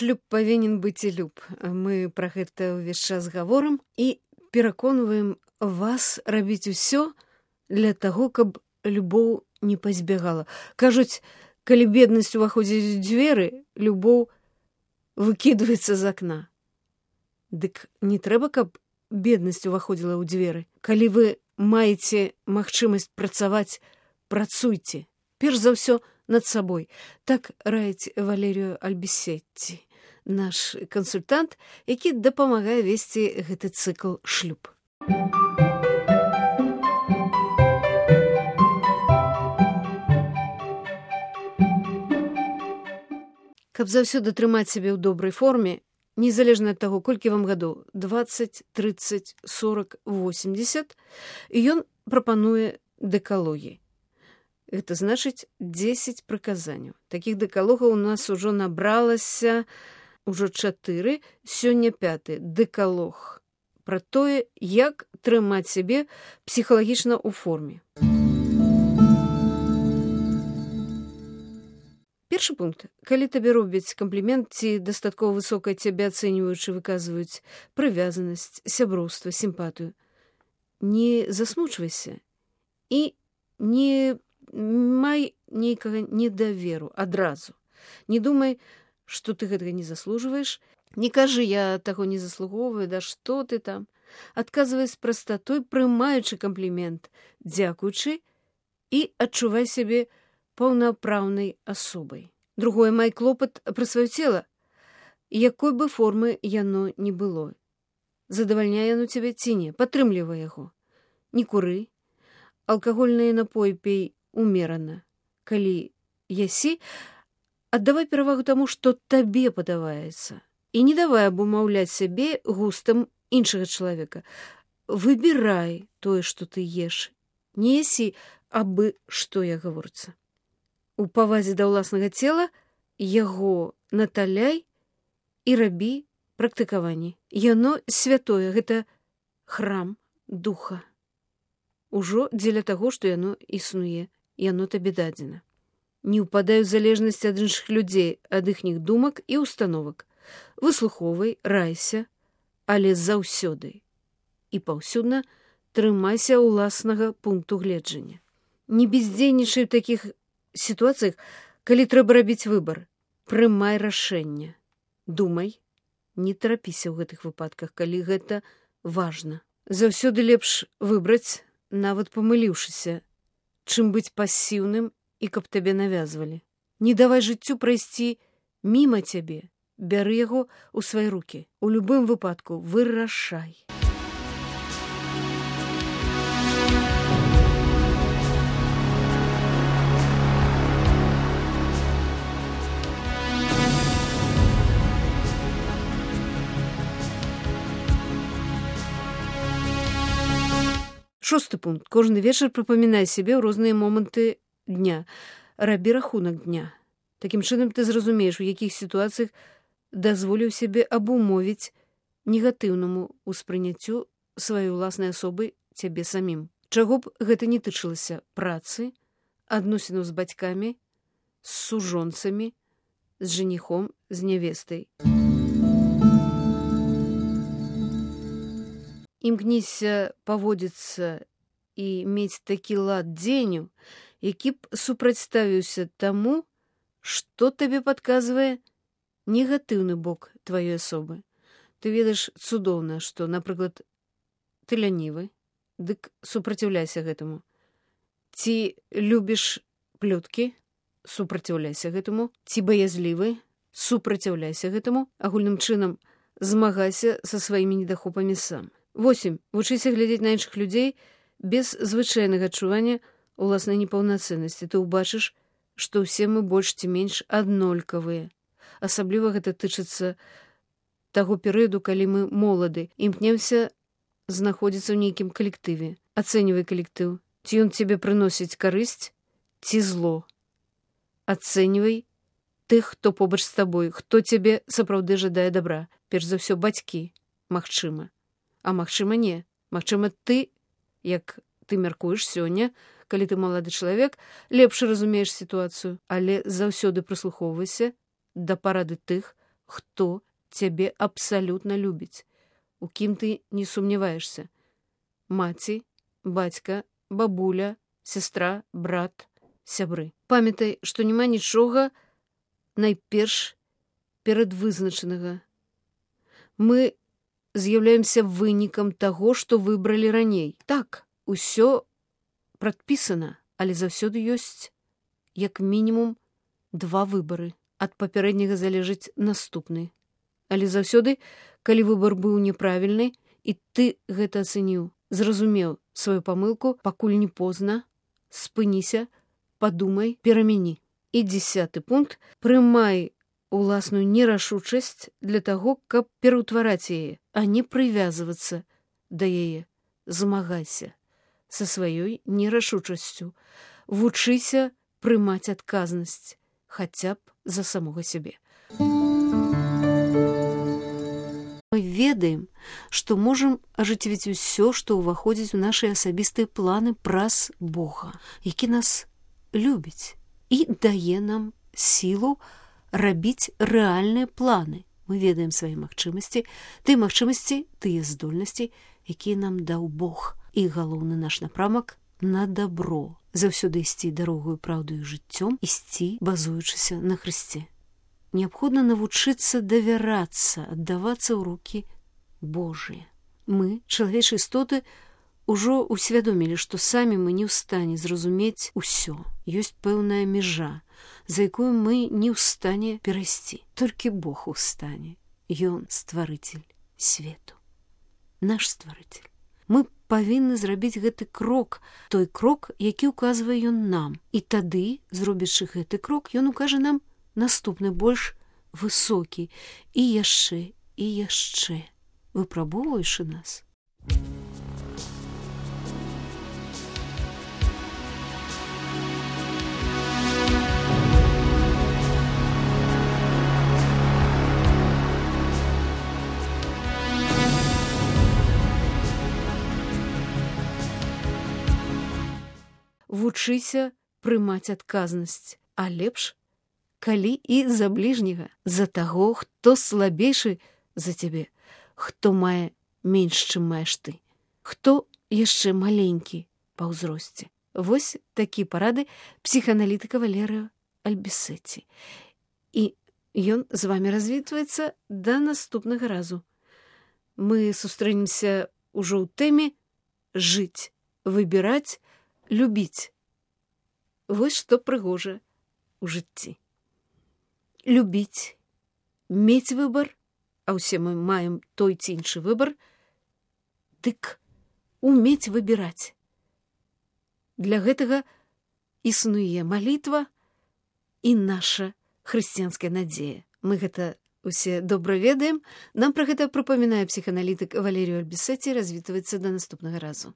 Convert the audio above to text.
шлюб павінен быць і люб. Мы пра гэта ўвесь час гаворым і пераконваем вас рабіць усё для таго, каб любоў не пазбягала. Кажуць, калі беднасць уваходзіць у дзверы, любоў выкідваецца з акна. Дык не трэба, каб беднасць уваходзіла ў дзверы. Калі вы маеце магчымасць працаваць, працуйце. Перш за ўсё над сабой. Так раіць Валерію Альбісетці, наш кансультант, які дапамагае весці гэты цыкл шлюб. Каб заўсёды трымаць сябе ў добрай форме, незалежна ад таго, колькі вам гадоў, 20, 30, 40, 80, ён прапануе дэкалогі. Гэта значыць 10 прыказанняў. Такіх дэкалогаў у нас ужо набралася ўжо 4, сёння 5 дэкалог. Пра тое, як трымаць сябе псіхалагічна ў форме. Першы пункт. Калі табе робяць камплімент ці дастаткова высокая цябе ацэньваючы выказваюць прывязанасць, сяброўства, сімпатыю, не засмучвайся і не май нейкага недаверу адразу. Не думай, што ты гэтага не заслужваеш. Не кажы, я таго не заслугоўваю, да што ты там. Адказвай з прастатой, прымаючы камплімент, дзякуючы і адчувай сябе паўнапраўнай асобай. Другое, май клопат пра сваё цела, якой бы формы яно не было. Задавальняе яно цябе ці не, падтрымлівай яго. Не куры, алкагольныя напоі пей умерана. Калі ясі, аддавай перавагу таму, што табе падаваецца. І не давай абумаўляць сябе густам іншага чалавека. Выбірай тое, што ты еш. Не ясі, абы што я гаворыцца. У павазе да ўласнага цела яго наталяй і рабі практыкаванні. Яно святое, гэта храм духа. Ужо дзеля таго, што яно існуе, яно табе дадзена. Не ўпадай у залежнасць ад іншых людзей, ад іхніх думак і установак. Выслухоўвай, райся, але заўсёды і паўсюдна трымайся ўласнага пункту гледжання. Не бездзейнічай у такіх сітуацыях, калі трэба рабіць выбар. Прымай рашэнне. Думай, не тарапіся ў гэтых выпадках, калі гэта важна. Заўсёды лепш выбраць, нават памыліўшыся, чым быць пасіўным і каб табе навязвалі. Не давай жыццю прайсці міма цябе. Бяры яго ў свае рукі. У любым выпадку вырашай. Шосты пункт. Кожны вечар прыпамінай сябе ў розныя моманты дня. Рабі рахунак дня. Такім чынам ты зразумееш, у якіх сітуацыях дазволіў сябе абумовіць негатыўнаму ўспрыняццю сваёй уласнай асобы цябе самім. Чаго б гэта не тычылася працы, адносінаў з бацькамі, з сужонцамі, з жаніхом, з нявестай. Імкніся паводзіцца і мець такі лад дзеню, які б супрацьставіўся таму, што табе падказвае негатыўны бок тваёй асобы. Ты ведаеш цудоўна, што, напрыклад, ты лянівы, дык супраціўляйся гэтаму. Ці любіш плёткі, супраціўляйся гэтаму. Ці баязлівы, супраціўляйся гэтаму. Агульным чынам змагайся са сваімі недахопамі сам. 8. Вучыся глядзець на іншых людзей без звычайнага адчування ўласнай непаўнацэннасці. Ты ўбачыш, што ўсе мы больш ці менш аднолькавыя. Асабліва гэта тычыцца таго перыяду, калі мы молады, імкнемся знаходзіцца ў нейкім калектыве. Ацэньвай калектыў. Ці ён цябе прыносіць карысць, ці зло. Ацэньвай тых, хто побач з табой, хто цябе сапраўды жадае дабра. Перш за ўсё бацькі, магчыма. А магчыма, не. Магчыма, ты, як ты мяркуеш сёння, калі ты малады чалавек, лепш разумееш сітуацыю, але заўсёды прыслухоўвайся да парады тых, хто цябе абсалютна любіць, у кім ты не сумняваешся. Маці, бацька, бабуля, сестра, брат, сябры. Памятай, што няма нічога найперш перадвызначанага. Мы з'яўляемся вынікам таго, што выбралі раней. Так, усё прадпісана, але заўсёды ёсць як мінімум 2 выбары. Ад папярэдняга залежыць наступны. Але заўсёды, калі выбар быў няправільны, і ты гэта ацэніў, зразумеў сваю памылку, пакуль не позна, спыніся, падумай, перамяні. І 10-ы пункт. Прымай уласную нерашучасць для таго, каб пераўтвараць яе, а не прывязвацца да яе. Змагайся са сваёй нерашучасцю. Вучыся прымаць адказнасць, хаця б за самога сябе. Мы ведаем, што можам ажыццявіць усё, што ўваходзіць у нашы асабістыя планы праз Бога, які нас любіць і дае нам сілу рабіць рэальныя планы. Мы ведаем свае магчымасці, тыя здольнасці, якія нам даў Бог. І галоўны наш напрамак на дабро. Заўсёды ісці дарогаю праўдаю жыццём, ісці, базуючыся на Хрысце. Неабходна навучыцца давярацца, аддавацца ў рукі Божыя. Мы, чалавечыя істоты, ужо усвядомілі, што самі мы не ў стане зразумець усё. Ёсць пэўная мяжа, за якую мы не ў стане перайсці. Толькі Бог у стане. Ён стварыцель свету. Наш стварыцель. Мы павінны зрабіць гэты крок, той крок, які ўказвае ён нам. І тады, зробячы гэты крок, ён укажа нам наступны, больш высокі, і яшчэ, выпрабоўваючы нас. Вучыся прымаць адказнасць, а лепш, калі і за бліжняга, за таго, хто слабейшы за цябе, хто мае менш, чым маеш ты, хто яшчэ маленькі па ўзросце. Вось такія парады псіхааналітыка Валерыо Альбісеці. І ён з вамі развітваецца да наступнага разу. Мы сустрэнемся ўжо ў тэме «Жыць, выбіраць, любіць». Вось што прыгожа ў жыцці. Любіць, мець выбар, а ўсе мы маем той ці іншы выбар, дык умець выбіраць. Для гэтага існуе малітва і наша хрысціянская надзея. Мы гэта усе добра ведаем. Нам пра гэта прыпамінае псіхааналітык Валерыо Альбісеці. Развітваецца да наступнага разу.